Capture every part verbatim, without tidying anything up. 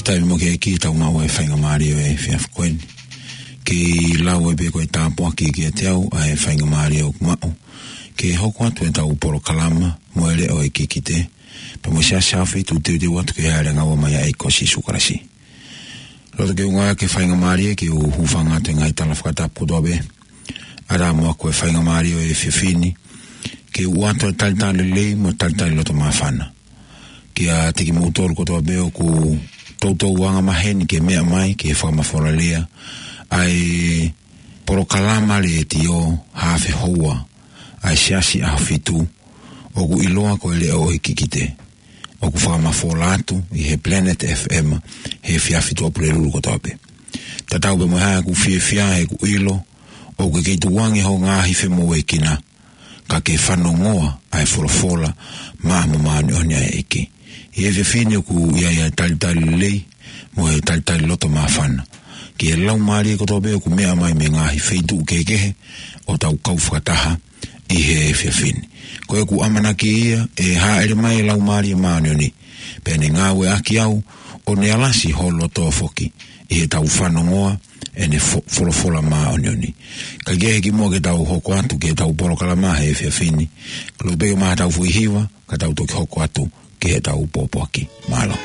Taimi mo ke ki tau maʻu e faingamālie ʻo e efiafi ko eni. Ke lau ai pē ko e tāpuaki kiate au ʻa e faingamālie ʻoku maʻu ke hoko atu ʻetau polokalama mo e leʻo ʻo e kikite, pea mo e siasi ʻa e feituʻu teuteu atu ki he ʻalu ʻo ngāue mai ʻa e ʻEiki ko Sīsū Kalaisi. Loto ke u ngāueʻaki e faingamālie ke u hūfanga atu he ngaahi tala fakatapu kotoa pē. ʻAlu mo e faingamālie ʻo e efiafi ni ke u ʻoatu e talitali lelei mo e talitali loto māfana kiate kimoutolu kotoa pē ʻoku toutou angamaheni ke meʻa mai ki he fakamafola lea ʻa e polokalama letiō haafe houa ʻa e Siasi ʻAhofitu, ʻoku ʻiloa ko e Leʻo ʻo e Kikite, ʻoku fakamafola atu ʻi he Planet F M he efiafi Tuʻapulelulu kotoa pē. Tatau pē mo e hā ʻeku fiefia heʻeku ʻilo ʻoku ke kei tukuange hoʻo ngaahi femoʻuekina, ka ke fanongoa ʻa e folofola maʻa mo māʻoniʻoni ʻa e ʻEiki. ʻI he efiafi ni ʻoku ʻi ai ʻa e talitali lelei mo e talitali loto māfana ki he laumālie kotoa pē ʻoku meʻa mai mei he ngaahi feituʻu kehekehe ʻo tau kau fakataha ʻi he efiafi ni. Ko ʻeku ʻamanaki ia ʻe hāʻele mai e Laumālie Māʻoniʻoni pea ne ngāueʻaki au ʻo ne alasi ho loto foki ʻi heʻetau fanongoa ʻene fo-, folofola māʻoniʻoni. Kae kehe kimuʻa ke tau hoko atu ki heʻetau polokalama he efiafi ni, ko e loto pē ke maʻu haʻatau foʻi hiva ka tau toki hoko atu ki heʻetau pōpoaki. Mālō.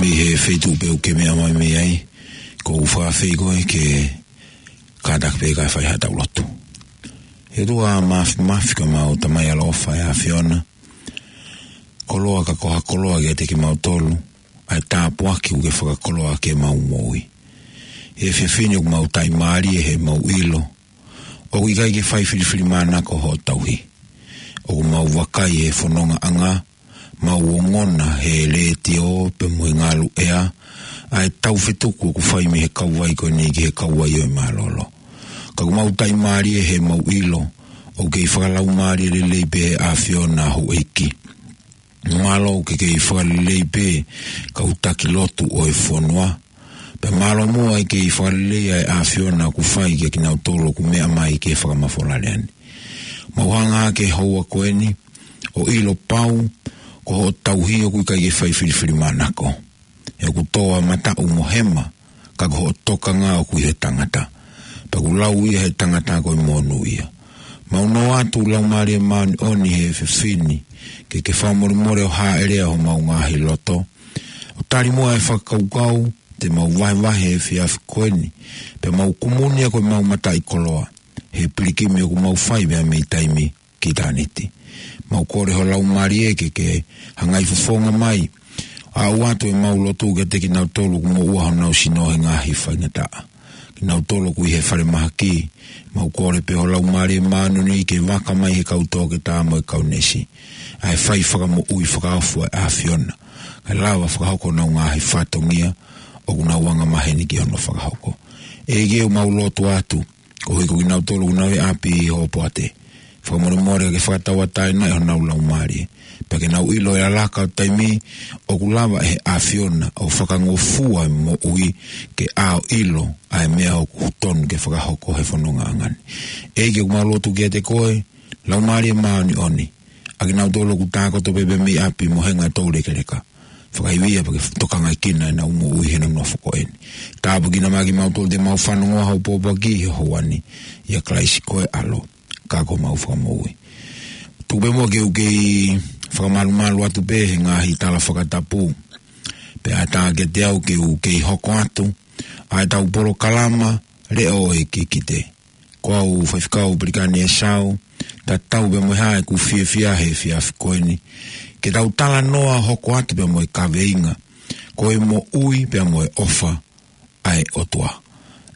Mei he feituʻu pē ʻoku ke meʻa mai mei ai, ʻoku ou fakaafeʻi koe ke kātaki pē kae fai haʻatau lotu. ʻE ʻOtua Māfimafi, ko homau Tamai ʻaloʻofa ʻa e ʻAfiona, koloa ka ko ha koloa kiate kimautolu ʻa e tāpuaki ʻoku ke fakakoloa ʻaki ʻemau moʻui. ʻI he efiafi ni ʻoku mau taʻimālie heʻemau ʻilo ʻoku ʻikai ke fai filifilimānako hoʻo tauhi. ʻOku mau vakai he fonongaʻanga, mau ongona he letiō pea mo e ngalu ʻea ʻa e tau fetuku ʻoku fai mei he kauvai ko eni ki he kauvai ʻo e mālōlō. Ka ʻoku mau taʻimālie heʻemau ʻilo ʻOku kei fakalaumālie lelei pē ʻa e ʻAfiona, houʻeiki. Mālō ʻoku ke kei fakalelei pē kau taki lotu ʻo e fonua. Pea mālō muʻa ʻa e kei fakalelei ʻa e ʻAfiona ʻoku fai kiate kinautolu ʻoku meʻa mai ki he fakamafola lea ni. Mau hanga ki he houa ko eni ʻo ʻilo pau ko hoʻo tauhi ʻoku ʻikai ke fai filifilimānako. He ʻoku tō ʻa e mataʻu mo e hema, ka ko hoʻo tokanga ʻoku ʻi he tangata. Pea ʻoku lau ia ʻe he tangata ko e monūʻia. Mau nō atu Laumālie Māʻoniʻoni he efiafi ni, ke ke fakamolemole ʻo hāʻele ʻa homau ngaahi loto. ʻO tali muʻa e fakakaukau te mau vahevahe he efiafi ko eni, pea mau kumuni ʻa ko e mau mataʻikoloa he pilikimi ʻoku mau fai pea mei taimi ki ʻitāniti. Mau kole ho Laumālie ke ke hangai fofonga mai, ʻo ʻoatu ʻemau lotu kiate kinautolu ʻoku moʻua honau sino he ngaahi faingataʻa. Kinautolu ʻoku ʻi he falemahaki, mau kole pē ho Laumālie Māʻoniʻoni ke vaka mai he kau toketā mo e kau neesi ʻa e fai fakamoʻui fakaofo ʻa e ʻAfiona, kae lava fakahoko honau ngaahi fatongia ʻoku nau angamaheni ki hono fakahoko. ʻEiki, ʻoku mau lotu atu koeʻuhi ko kinautolu ʻoku nau ʻi ʻapi ʻi hoʻo poate. Fakamolemole ke fakatauʻatāinaʻi honau laumālie, pea ke nau ʻilo ʻi he laka ʻo taimi ʻoku lava ʻe he ʻAfiona ʻo fakangofua e moʻui ke ʻaʻau ʻilo ʻa e meʻa ʻoku tonu ke fakahoko he fonongaʻanga ni. ʻEiki, ʻoku mau lotu kiate koe, Laumālie Māʻoniʻoni, ʻa kinautolu ʻoku tākoto pē pea mei ʻapi mo e ngaahi toulekeleka. Fakaivia pea ke tokangaʻi kinautolu ʻenau moʻui he nofo ko eni. Tāpuekina mai kimautolu te mau fanongo ʻa hoʻo pōpoaki he houa ni. ʻIa Kalaisi ko e ʻAlo, ka ko homau Fakamoʻui. Tuku pē muʻa ke u kei fakamalumalu atu pē he ngaahi tala fakatapu. Pea ʻatā kiate au ke u kei hoko atu ʻa ʻetau polokalama Leʻo ʻo e Kikite. Ko au Faifekau Pelikani ʻEsau, tatau pē mo e hā ʻeku fiefia he efiafi ko eni, ke tau talanoa hoko atu pē mo e kaveinga, ko e moʻui pea mo e ʻofa ʻa e ʻOtua.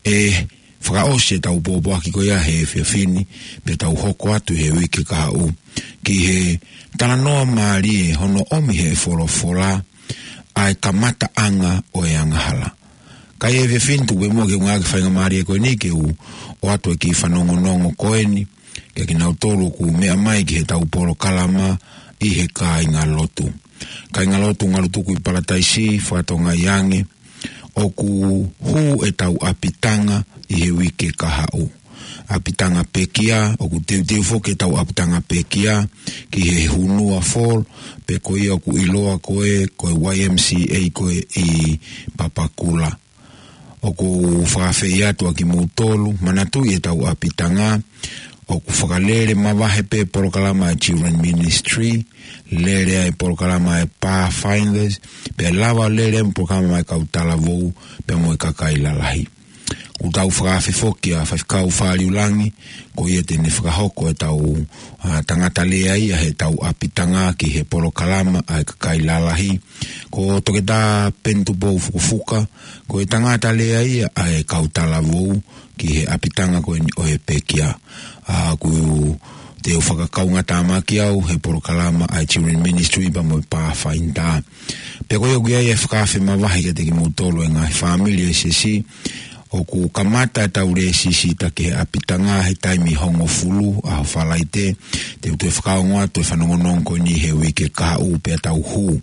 ʻE fakaʻosi ʻetau pōpoaki ko ia he efiafi ni, pea tau hoko atu he uike kahaʻu ki he talanoa mālie hono ʻomi he folofola ʻa e kamataʻanga ʻo e angahala. Ka ʻi he efiafi ni tuku pē muʻa ke u ngāueʻaki e faingamālie ko eni ke u ʻoatu e kiʻi fanongonongo ko eni kiate kinautolu ʻoku meʻa mai ki heʻetau polokalama ʻi he kāingalotu. Kāingalotu Ngalutuku ʻi Palataisi, fakatokangaʻi ange ʻoku hū ʻetau ʻapitanga ʻi he uike kahaʻu. ʻApitanga pekia, ʻoku teuteu foki ʻetau ʻapitanga pekia ki he Hunua Fall, pe ko ia ʻoku ʻiloa ko e, ko e Y M C A ko ē ʻi Papakura. ʻOku ou fakaafeʻi atu ʻa kimoutolu, manatuʻi ʻetau ʻapitanga, ʻoku fakalele mavahe pē polokalama ʻa e Children Ministry, lele ai polokalama ʻa e Pathfinders, pea lava lele ai polokalama ʻa e kau talavou, pea mo e kakai lalahi. ʻOku tau fakaafe foki ʻa Faifekau Faliulangi, ko ia te ne fakahoko ʻetau, ʻa, tangata lea ia heʻetau ʻapitanga ki he polokalama ʻa e kakai lalahi. Ko Toketā Penitupou Fukofuka, ko e tangata lea ia ʻa e kau talavou ki he ʻapitanga ko eni ʻo e pekia. ʻA, ʻoku te u fakakaungātāmaki au he polokalama ʻa e Children Ministry pea mo e Pathfinder. Pea ko ia ʻoku ʻi ai e fakaafe mavahe kiate kimoutolu e ngaahi fāmili ʻo e siasi, ʻoku kamata ʻetau lēsisita ki he ʻapitanga he taimi hongofulu ʻaho Falaite, te u toe fakaongo atu e fanongonongo ko eni he uike kahaʻu pea tau hū.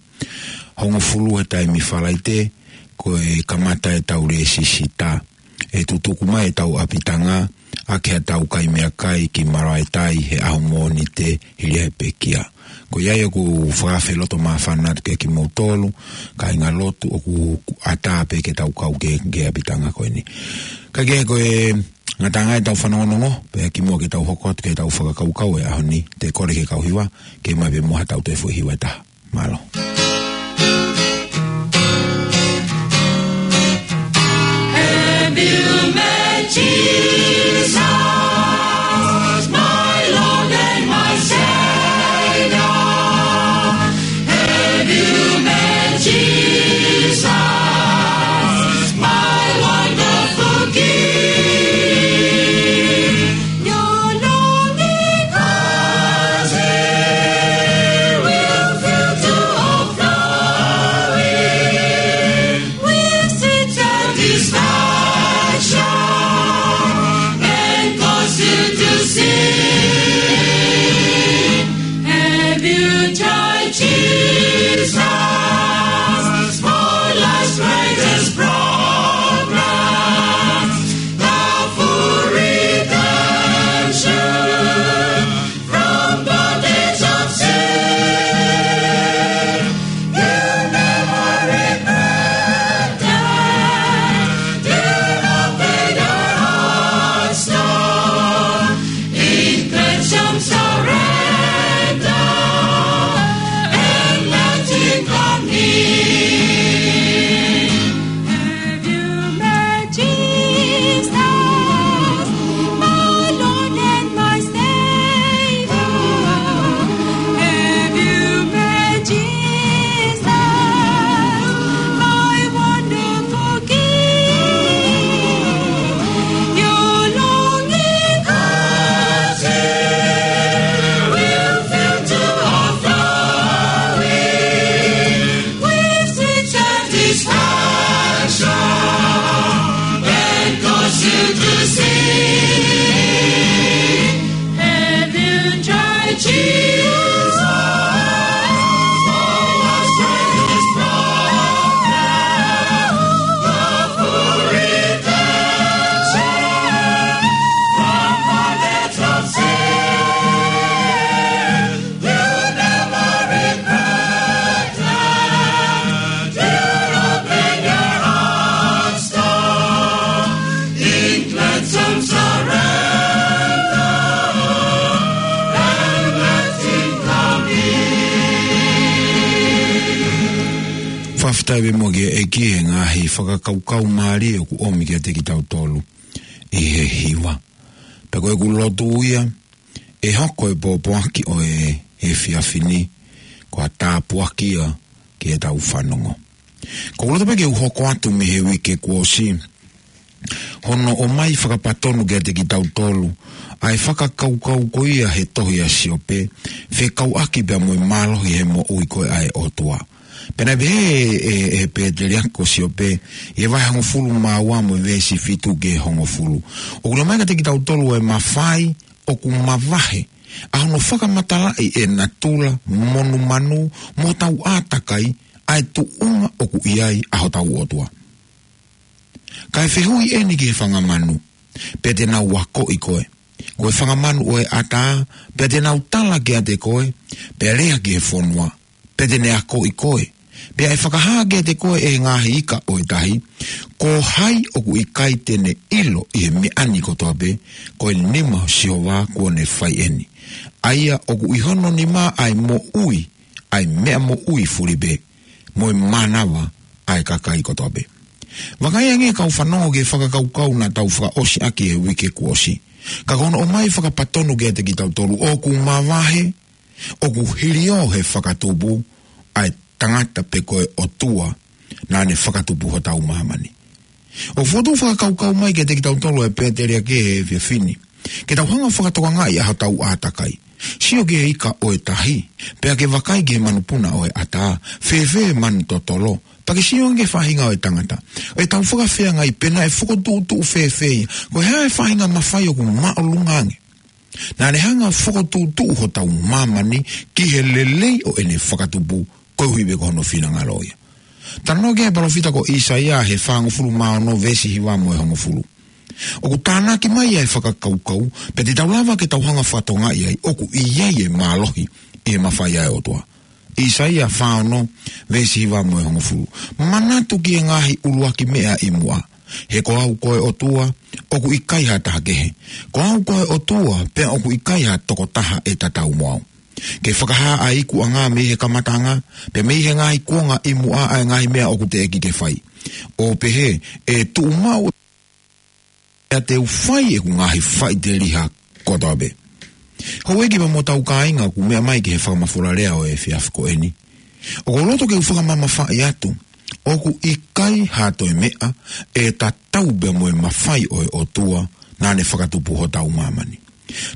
Hongofulu he taimi Falaite, ko e kamata ʻetau lēsisita. ʻE tutuku mai ʻetau ʻapitanga ʻaki haʻatau kai meʻakai ki Maraetai he ʻaho Mōnite hili ʻa e pekia. Ko ia ai ʻoku ou fakaafe loto māfana atu kiate kimoutolu, kāingalotu ʻoku ʻatā pē ke tau kau ki he, ki he ʻapitanga ko eni. Kae kehe ko e ngataʻanga ʻetau fanongonongo, pea kimuʻa ke tau hoko atu ki heʻetau fakakaukau he ʻaho ni, te u kole ki he kau hiva, ke ʻomai pē muʻa haʻatau toe foʻi hiva ʻe taha. Mālō. Have you met Jesus, my Lord and my Savior? Have you met Jesus, my wonderful King? Your lonely cousin will fill to overflow. Fakafetaʻi muʻa ki he ʻEiki he ngaahi fakakaukau mālie ʻoku ʻomi kiate kitautolu ʻi he hiva. Pea ko ʻeku lotu ia, ʻe hoko e pōpoaki ʻo e efiafi ni ko ha tāpuaki ia ki heʻetau fanongo. Ko ʻeku loto pē ke u hoko atu mei he uike kuo ʻosi hono ʻomai fakapatonu kiate kitautolu ʻa e fakakaukau ko ia he tohi ʻa Siope, fekauʻaki pea mo e mālohi he moʻui ko ē ʻa e ʻOtua. Pea naʻe pehē ʻe, ʻe, ʻe he pēteliake ko Siope, ʻi he vahe hongofulu mā ua mo e veesi fitu ki he hongofulu, ʻoku ʻomai kiate kitautolu e mafai ʻoku mavahe ʻa hono fakamatalaʻi ʻe natula, monumanu, mo hotau ʻātakai, ʻa e tuʻunga ʻoku ʻi ai ʻa hotau ʻOtua. Kae fehuʻi eni ki he fanga manu, pea te nau akoʻi koe. Ko e fanga manu ʻo e ʻatā, pea te nau tala kiate koe, pea lea ki he fonua, pea te ne akoʻi koe. Pea ʻe fakahā kiate koe ʻe he ngaahi ika ʻo e tahi, ko hai ʻoku ʻikai te ne ʻilo ʻi he meʻa ni kotoa pē, ko e nima ʻo Sihova kuo ne fai eni. ʻA ia ʻoku ʻi hono nima ʻa e moʻui, ʻa e meʻa moʻui fuli pē, mo e mānava ʻa e kakai kotoa pē. Vakai ange kau fanongo ki he fakakaukau naʻa tau fakaʻosi ʻaki he uike kuo ʻosi. Ka ko hono ʻomai fakapatonu kiate kitautolu ʻoku mavahe, ʻoku hilio he fakatupu ʻa e tangata pe ko e ʻOtua naʻa ne fakatupu hotau māmani. ʻOku fokotuʻu fakakaukau mai kiate kitautolu ʻe he pēteliake he efiafi ni ke tau hanga fakatokangaʻi ʻa hotau ʻātakai. Sio ki he ika ʻo e tahi, pea ke vakai ki he manupuna ʻo e ʻatā, fēfē manu totolo, pea ke sio ange ki he faʻahinga ʻo e tangata. ʻE tau fakafeangai pe naʻe fokotuʻutuʻu fēfē ia, ko e hā e faʻahinga mafai ʻoku māʻolunga ange. Naʻa ne hanga fokotuʻutuʻu hotau māmani ki he lelei ʻo ʻene fakatupu, koeʻuhi pē ko hono finangalo ia. Talanoa ki ai e palōfita ko ʻĪsaia he fāngofulu mā ono veesi hiva mo e hongofulu. ʻOku tānaki mai ʻa e fakakaukau, pea te tau lava ke tau hanga fakatokangaʻi ai, ʻoku ʻi ai e mālohi ʻi he mafai ʻa e ʻOtua. ʻĪsaia fā ono, veesi hiva mo e hongofulu. Manatu ki he ngaahi ʻuluaki meʻa ʻi muʻa. He ko au ko e ʻOtua, ʻoku ʻikai ha taha kehe. Ko au ko e ʻOtua, pea ʻoku ʻikai ha tokotaha ʻe tatau mo au. Ke fakahā ʻa e ikuʻanga mei he kamataʻanga, pea mei he ngaahi kuonga ʻi muʻa ʻa e ngaahi meʻa ʻoku teʻeki ke fai. ʻO pehē, ʻe tuʻu maʻu ʻa e te u fai ʻeku ngaahi faʻiteliha kotoa pē. Houʻeiki pea mo hotau kāinga ʻoku meʻa mai ki he fakamafola lea ʻo e efiafi ko eni. ʻOku ou loto ke u fakamamafaʻi atu, ʻoku ʻikai ha toe meʻa ʻe tatau pea mo e mafai ʻo e ʻOtua naʻa ne fakatupu hotau māmani.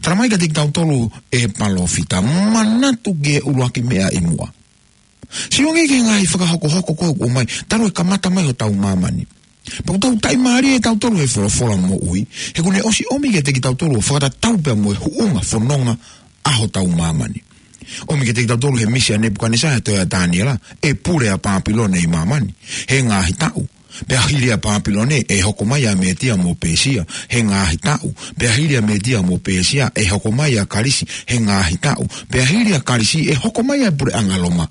Talamai kiate kitautolu ʻe he palōfita, manatu ki he ʻuluaki meʻa ʻi muʻa. Sio ange ki he ngaahi fakahokohoko ko ē ʻoku ʻomai, talu e kamata mai hotau māmani. Pea ʻoku tau taʻimālie ʻe tautolu he folofola moʻui, he kuo ne ʻosi ʻomi kiate kitautolu ʻo fakatatau pea mo e huʻunga fononga ʻa hotau māmani. ʻOmi kiate kitautolu he misi ʻa Nepukanesa he tohi ʻa Taniela, ʻe pule ʻa Pāpilone ʻi māmani he ngaahi taʻu. Pea hili ʻa Pāpilone ʻe hoko mai ʻa Mētia mo Pēsia he ngaahi taʻu. Pea hili ʻa Mētia mo Pēsia ʻe hoko mai ʻa Kalisi he ngaahi taʻu. Pea hili ʻa Kalisi ʻe hoko mai ʻa e puleʻanga Loma.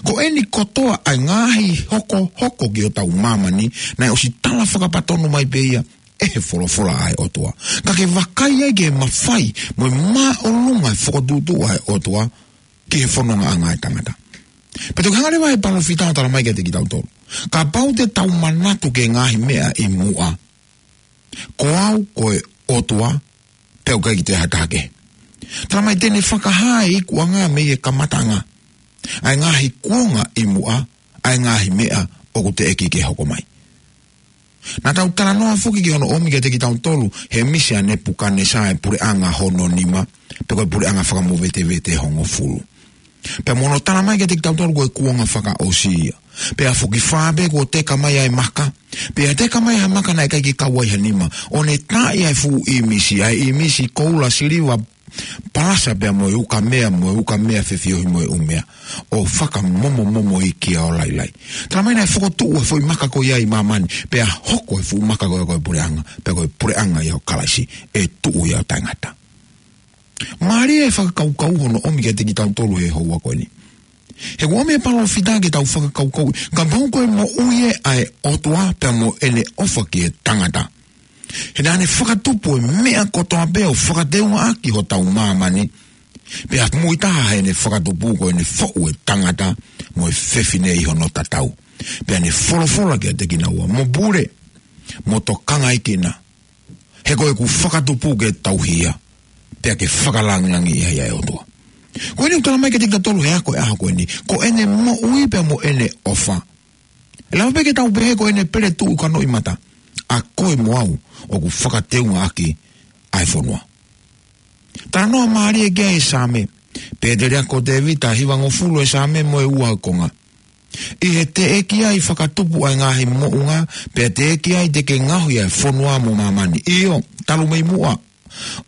Ko eni kotoa ʻa e ngaahi hokohoko ki hotau māmani, naʻe ʻosi tala fakapatonu mai pē ia ʻe he folofola ʻa e ʻOtua. Ka ke vakai ai ki he mafai mo e māʻolunga e fokotuʻutuʻu ʻa e ʻOtua ki he fonongaʻanga ʻa e tangata. Pea toki hanga leva ʻe he palōfita ʻo talamai kiate kitautolu, kapau te tau manatu ki he ngaahi meʻa ʻi muʻa, ko au ko e ʻOtua, pea ʻoku ʻikai ke toe ha taha kehe. Talamai te ne fakahā e ikuʻanga mei he kamataʻanga, ʻa e ngaahi kuonga ʻi muʻa, ʻa e ngaahi meʻa ʻoku teʻeki ke hoko mai. Naʻa tau talanoa foki ki hono ʻomi kiate kitautolu he misi ʻa Nepukanesa e puleʻanga hono nima, pe ko e puleʻanga fakamovetevete hongofulu. Pea mo hono talamai kiate kitautolu ko e kuonga fakaʻosi ia. Pea foki fā pē kuo teka mai ʻa e maka. Pea teka mai ʻa e maka naʻe ʻikai ke kau ai ha nima. ʻO ne taaʻi ʻa e fuʻu ʻīmisi, ʻa e ʻīmisi koula, siliva, palasa pea mo e ukamea, mo e ukamea fefiohi mo e ʻumea. ʻO fakamomomomo ʻi kia ʻo lailai. Talamai naʻe fokotuʻu e foʻi maka ko ia ʻi māmani. Pea hoko e fuʻu maka ko ia ko e puleʻanga. Pea ko e puleʻanga ia ʻo Kalaisi. ʻE tuʻu ia ʻo taʻengata. Mālie e fakakaukau hono ʻomi kiate kitautolu he houa ko eni. He kuo ʻomi e palōfita ke tau fakakaukau, kapau ko e moʻui ē ʻa e ʻOtua pea mo ʻene ʻofa ki he tangata. He naʻa ne fakatupu e meʻa kotoa pē ʻo fakateungaʻaki hotau māmani. Pea muitaha heʻene fakatupu ko ʻene foʻu e tangata mo e fefine ʻi hono tatau. Pea ne folofola kiate kinaua, mo pule, mo tokangaekina. He ko ʻeku fakatupu ke tauhi ia, pea ke fakalāngilangiʻi ai ʻa e ʻOtua. Ko eni ʻoku tala mai kiate kitautolu he ako ʻo e ʻaho ko eni, ko ʻene moʻui pea mo ʻene ʻofa. ʻE lava pē ke tau pehē ko ʻene pele tuʻu ʻi hono ʻi mata, ʻa koe mo au ʻoku fakateungaʻaki ʻa e fonua. Talanoa mālie ki ai e Saame, pea te lea ko Tēvita, hivangofulu e Saame mo e ua konga. ʻI he teʻeki ai fakatupu ʻa e ngaahi moʻunga, pea teʻeki ai te ke ngaohi ʻa e fonua mo māmani. ʻIo, talu mei muʻa,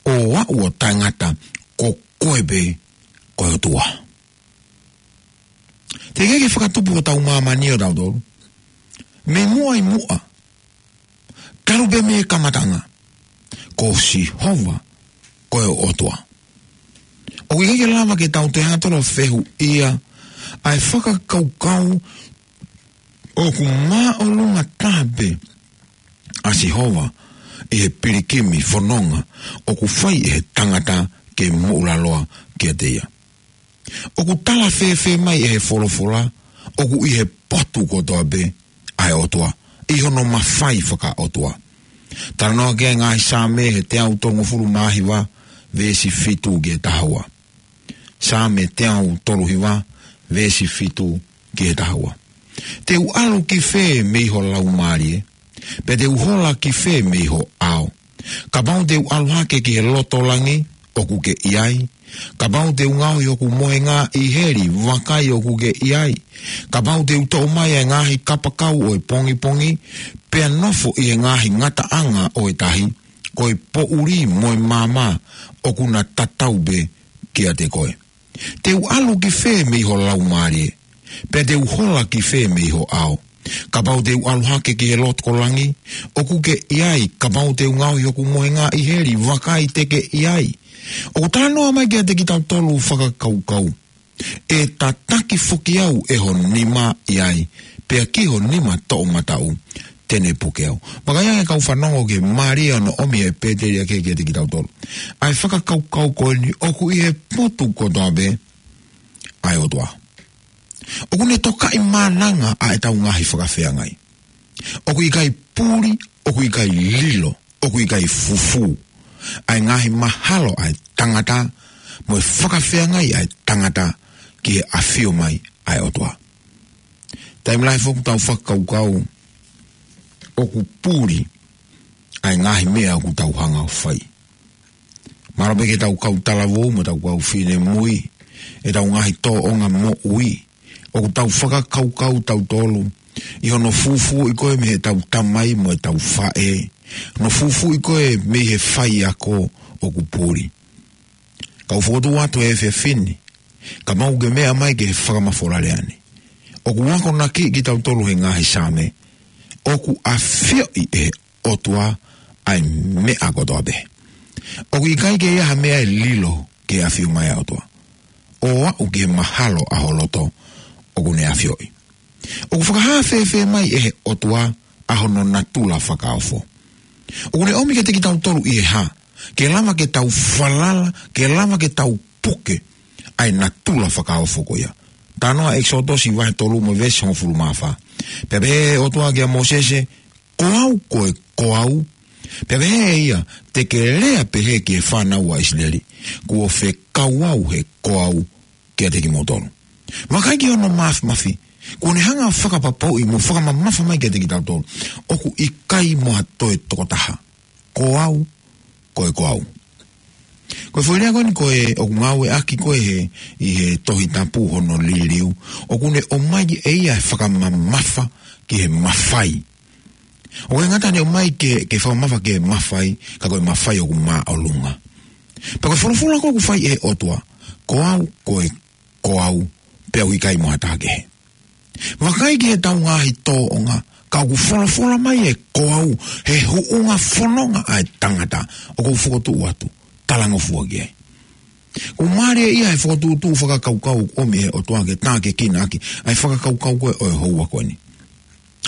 ʻo aʻu ʻo taʻengata, ko koe pē ko e ʻOtua. Teʻeki ke fakatupu ʻo tau māmani ʻo tautolu. Mei muʻa ʻi muʻa, talu pē mei he kamataʻanga, ko Sihova ko e ʻOtua. ʻOku ʻikai ke lava ke tau toe hanga tolo fehuʻia ʻa e fakakaukau ʻoku māʻolunga taha pē ʻa Sihova ʻi he pilikimi fononga ʻoku fai ʻe he tangata ke moʻulaloa kiate ia. ʻOku tala fēfē mai ʻe he folofola, ʻoku ʻi he potu kotoa pē ʻa e ʻOtua, ʻi hono mafai fakaʻotua. Talanoa ki ai e ngaahi Saame he teau tolungofulu mā hiva, veesi fitu ki he taha ua. Saame teau tolu hiva, veesi fitu ki he taha ua. Te u ʻalu ki fē mei ho laumālie, pea te u hola ki fē mei ho ʻao? Kapau te u ʻalu hake ki he loto langi, ʻoku ke ʻi ai. Kapau te u ngaohi hoku mohenga ʻi heli, vakai ʻoku ke ʻi ai. Kapau te u toʻo mai ʻa e ngaahi kapakau ʻo e pongipongi, pea nofo ʻi he ngaahi ngataʻanga ʻo e tahi, ko e poʻuli mo e maama ʻoku na tatau pē kiate koe. Te u ʻalu ki fē mei ho laumālie, pea te u hola ki fē mei ho ʻao? Kapau te u ʻalu hake ki he loto langi, ʻoku ke ʻi ai. Kapau te u ngaohi hoku mohenga ʻi heli, vakai te ke ʻi ai. ʻOku talanoa mai kiate kitautolu fakakaukau. ʻE tataki foki au ʻe ho nima ʻi ai, pea ki ho nima toʻomataʻu te ne puke au. Vakai ange kau fanongo ki he mālie ʻo hono ʻomi ʻe Pēteli ʻa e kei kiate kitautolu ʻa e fakakaukau ko eni ʻoku ʻi he potu kotoa pē ʻa e ʻOtua. ʻOku ne tokaʻi mānanga ʻa ʻetau ngaahi fakafeangai. ʻOku ʻikai puli, ʻoku ʻikai lilo, ʻoku ʻikai fufū ʻa e ngaahi mahalo ʻa e tangata mo e fakafeangai ʻa e tangata ki he ʻafio mai ʻa e ʻOtua. Taimi lahi foki ʻoku tau fakakaukau ʻoku puli ʻa e ngaahi meʻa ʻoku tau hanga ʻo fai. Mahalo pē ke tau kau talavou mo tau kau finemui, ʻetau ngaahi tōʻonga moʻui, ʻoku tau fakakaukau tautolu ʻi hono fufuuʻi koe mei heʻetau tamai mo ʻetau faʻē, hono fufuuʻi koe mei he faiako ʻoku puli. Kau fokotuʻu atu he efiafi ni, kapau ʻoku ke meʻa mai ki he fakamafola lea ni, ʻoku akonakiʻi kitautolu he ngaahi Saame, ʻoku ʻafioʻi ʻe he ʻOtua ʻa e meʻa kotoa pē. ʻOku ʻikai ke ʻi ai ha meʻa ʻe lilo ki he ʻafio mai ʻa e ʻOtua, ʻo aʻu ki he mahalo ʻa ho loto ʻoku ne ʻafioʻi. ʻOku fakahā fēfē mai ʻe he ʻOtua ʻa hono natula fakaofo? ʻOku ne ʻomi kiate kitautolu ʻi he hā ke lava ke tau falala, ke lava ke tau puke ʻa e natula fakaofo ko ia? Talanoa ʻEkisoto vahe tolu mo e veesi hongofulu mā fā. Pea pehē ʻe he ʻOtua kia Mōsese, ko au ko e ko au. Pea pehē ʻe ia, te ke lea pehē ki he fānau ʻa ʻIsileli, kuo fekau au he ko au kiate kimoutolu. Vakai ki hono mafimafi, kuo ne hanga ʻo fakapapauʻi mo fakamamafa mai kiate kitautolu ʻoku ʻikai mo ha toe tokotaha. Ko au ko e ko au. Ko e foʻi lea ko eni ko e ʻoku ngāueʻaki ko ē he, ʻi he Tohi Tapu hono liliu, ʻoku ne ʻomai ʻe ia e fakamamafa ki he mafai. ʻOku ʻikai ngata ʻene ʻomai ke, ke fakamamafa ki he mafai, ka ko e mafai ʻoku māʻolunga. Pea ko e folofola ko ē ʻoku fai ʻe he ʻOtua, ko au ko e ko au, pea ʻoku ʻikai mo ha taha kehe. Vakai ki heʻetau ngaahi tōʻonga, ka ʻoku folofola mai e ko au he huʻunga fononga ʻa e tangata ʻoku ou fokotuʻu atu, talangofua ki ai. ʻOku mālie ia he fokotuʻutuʻu fakakaukau ʻoku ʻomi ʻe he ʻOtua ke tākiekina ʻaki ʻa e fakakaukau ko ē ʻo e houa ko eni.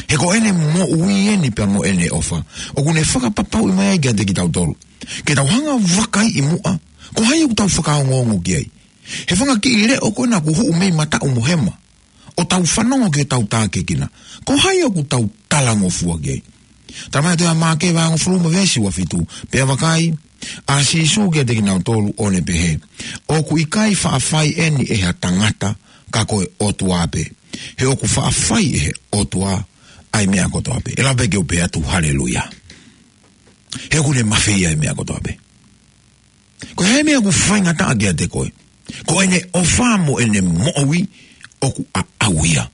He ko ʻene moʻui eni pea mo ʻene ʻofa ʻoku ne fakapapauʻi mai ai kiate kitautolu ke tau hanga ʻo vakaiʻi muʻa ko hai ʻoku tau fakaongoongo ki ai. He fanga kiʻi leʻo ko ena ʻoku huʻu mei mataʻu mo hema, ʻo tau fanongo ki heʻetau tākiekina, ko hai ʻoku tau talangofua ki ai? Talamai ʻe he tohi ʻa Maʻake vahe hongofulu mo e veesi uofitu: Pea vakai, ʻa Sīsū kiate kinautolu ʻo ne pehē, ʻOku ʻikai faʻa fai eni ʻe ha tangata, ka ko e ʻOtua pē. He ʻoku faʻa fai ʻe he ʻOtua ʻa e meʻa kotoa pē. ʻE lava pē ke u pehē atu, haleluia. He ʻoku ne mafeia ʻa e meʻa kotoa pē. Ko e hā e meʻa ʻoku faingataʻa kiate koe? Ko ʻene ʻofa mo ʻene moʻui ʻoku ʻaʻau ia.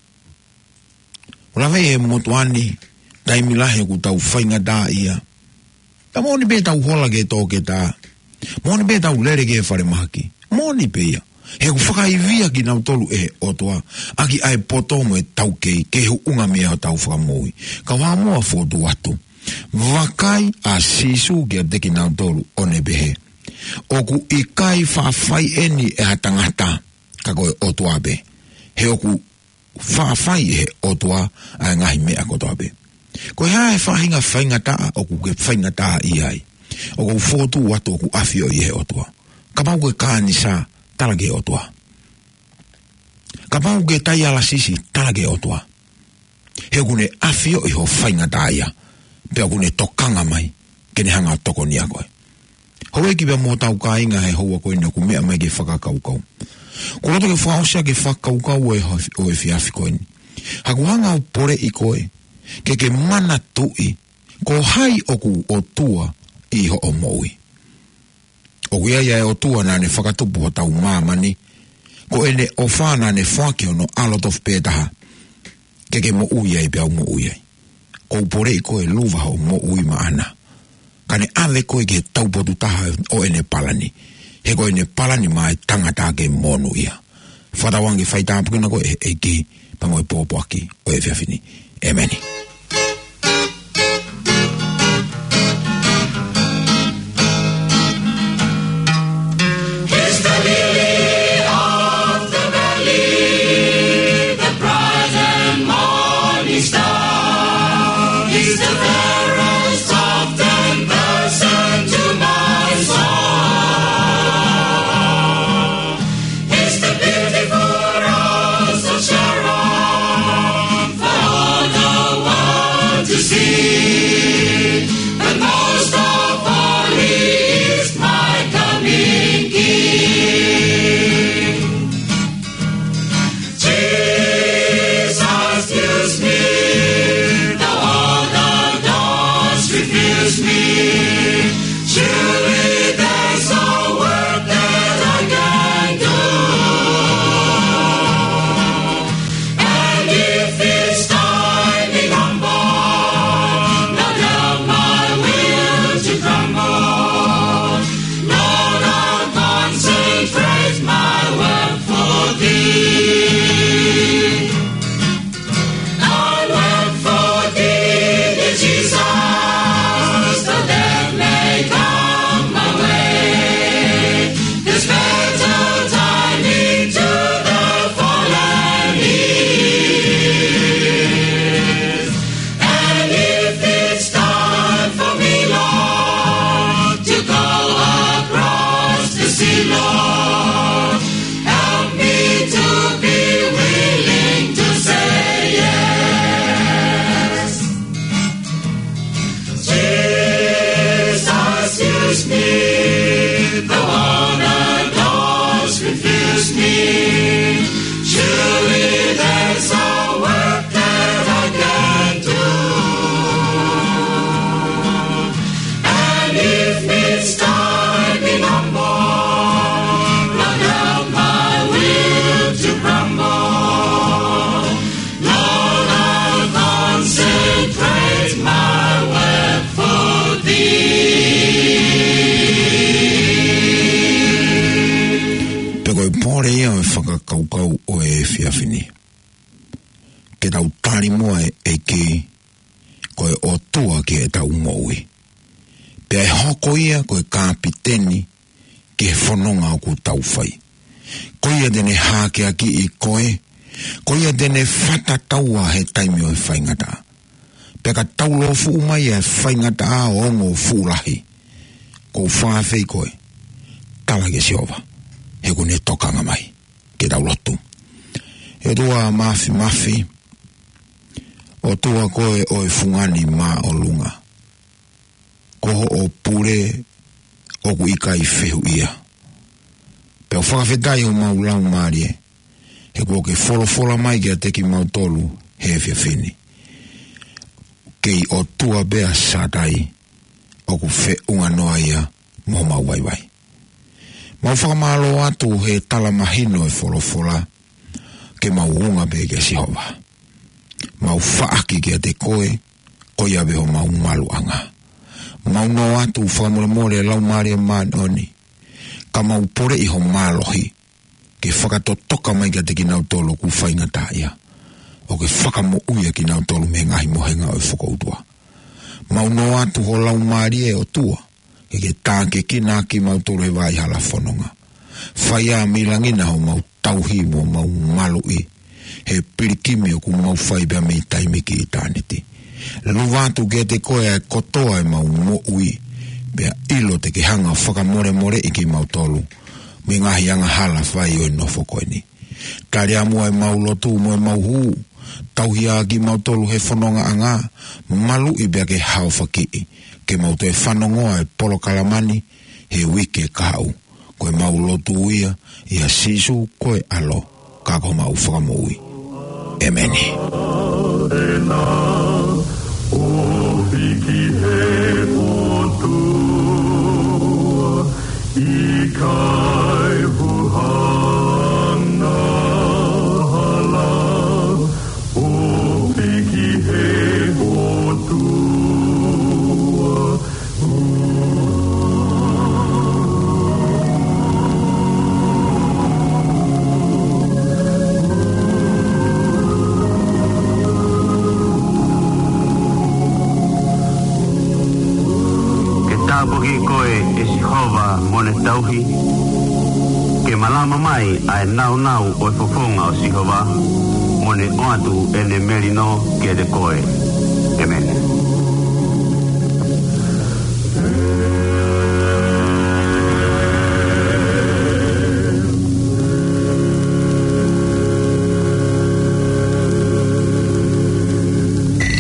ʻOku lava ʻe he motuʻa ni, taimi lahi ʻoku tau faingataʻaʻia. Ka moʻoni pē ʻetau hola ki he toketā. Moʻoni pē ʻetau lele ki he falemahaki. Moʻoni pē ia. He ʻoku fakaivia kinautolu ʻe he ʻOtua ʻaki ʻa e poto mo e taukei, ke huʻunga mei ai hotau fakamoʻui. Ka ʻoua muʻa ʻo fokotuʻu atu. Vakai, ʻa Sīsū kiate kinautolu ʻo ne pehē, ʻOku ʻikai faʻa fai eni ʻe ha tangata, ka ko e ʻOtua pē. He ʻoku faʻa fai ʻe he ʻOtua ʻa e ngaahi meʻa kotoa pē. Ko e hā e faʻahinga faingataʻa ʻoku ke faingataʻaʻia ai? ʻOku ou fokotuʻu atu ʻoku ʻafioʻi ʻe he ʻOtua. Kapau ko e kanisā, tala ki he ʻOtua. Kapau ko e taialasisi, tala ki he ʻOtua. He ʻoku ne ʻafioʻi hoʻo faingataʻaʻia, pea ʻoku ne tokanga mai ke ne hanga ʻo tokonia koe. Houʻeiki pea mo hotau kāinga he houa ko eni ʻoku meʻa mai ki he fakakaukau. ʻOku ou loto ke fakaʻosi ʻaki e fakakaukau ʻo e, ʻo e efiafi ko eni. Haʻaku hanga ʻo poleʻi koe ke ke manatuʻi ko hai ʻoku ʻOtua ʻi hoʻo moʻui. ʻOku ʻi ai ʻa e ʻOtua naʻa ne fakatupu hotau māmani, ko ʻene ʻofa naʻa ne foaki hono ʻAlo tofu pē taha, ke ke moʻui ai pea u moʻui ai. ʻOku ou poleʻi koe, luva hoʻo moʻui maʻana, ka ne ʻave koe ki he taupotu taha ʻo ʻene palani. He ko ʻene palani maʻa e tangata ke monūʻia. Fakatauange ke faitāpuekina koe ʻe he ʻEiki pea mo e pōpoaki ʻo e efiafi ni. ʻEmeni. He's the lily of the valley, the bright and morning star. He's the fairest of ten thousand to my soul. He's the beautiful rose of Sharon for all the world to see. But most of all, he is my coming King. Jesus, use me, though all the doors refuse me. Surely there's a work that I can do. And if it's time in humble, not help my will to crumble. Lord, I'll concentrate my work for thee. I'll work for thee, dear Jesus, though death may come my way. There's better timing to the fallen is. And if it's time for me, Lord, to go across the sea, Lord, help me to be willing to say yes. Jesus, use me, though all the doors refuse me. Surely there's a work that I can do. And if it's time in humble, Lord, help my will to crumble. Lord, I'll concentrate my work for thee. Pea ko e pole ia ʻo e fakakaukau ʻo e efiafi ni. Ke tau tali muʻa e ʻEiki ko e ʻOtua ki heʻetau moʻui. Pea ʻe hoko ia ko e kapiteni ki he fononga ʻoku tau fai. Ko ia te ne hākeakiʻi koe, ko ia te ne fakatauʻatāina he taimi ʻo e faingataʻa. Pea ka taulōfuʻu mai ʻa e faingataʻa ʻo ongo fuʻu lahi, ʻoku ou fakaafeʻi koe, tala kia Sihova, he ʻoku ne tokanga mai. Ke tau lotu. ʻOtua Māfimafi, ʻOtua koe ʻo e fungani māʻolunga. Ko hoʻo pule ʻoku ʻikai fehuʻia. Pea ʻoku fakafetaʻi homau laumālie, he kuo ke folofola mai kiate kimautolu he efiafi ni. Kei ʻOtua pē ʻa Sātai, ʻoku feʻunga noa ia mo homau vaivai. Mau fakamālō atu he tala mahino e folofola, ke mau unga pē kia Sihova. Mau faʻaki kiate koe, ko ia pē homau maluʻanga. Mau nō atu fakamolemole Laumālie Māʻoniʻoni, ka mau poleʻi ho mālohi, ke fakatotoka mai kiate kinautolu ʻoku faingataʻaʻia, ʻo ke fakamoʻui ʻa kinautolu mei he ngaahi mohenga ʻo e fokoutua. Mau nō atu ho Laumālie ʻOtua, ke ke tākiekina kimautolu he vaʻa hala fononga. Fai ā mei langi na homau tauhi mo homau maluʻi, he pilikimi ʻoku mau fai pea mei taimi ki ʻitāniti. Luva atu kiate koe ʻa e kotoa ʻemau moʻui, pea ʻilo te ke hanga fakamolemoleʻi kimautolu mei he ngaahi angahala fai ʻo e nofo ko eni. Tali ā muʻa ʻemau lotu mo ʻemau hū, tauhi ā kimautolu he fonongaʻanga, maluʻi pea ke haofakiʻi, ke mau toe fanongoa e polokalama ni he uike kahaʻu. Ko ʻemau lotu ia, ʻia Sīsū ko e ʻAlo, ka ko homau Fakamoʻui. ʻEmeni. ʻO hiki he ʻOtua, ʻikai huhanga hala, ʻo hiki he ʻOtua. Ke tāpuakiʻi koe ʻe Sihova mo ne tauhi, ke malama mai ʻa e naunau ʻo e fofonga ʻo Sihova, mo ne ʻoatu ʻene melino kiate koe. ʻEmeni.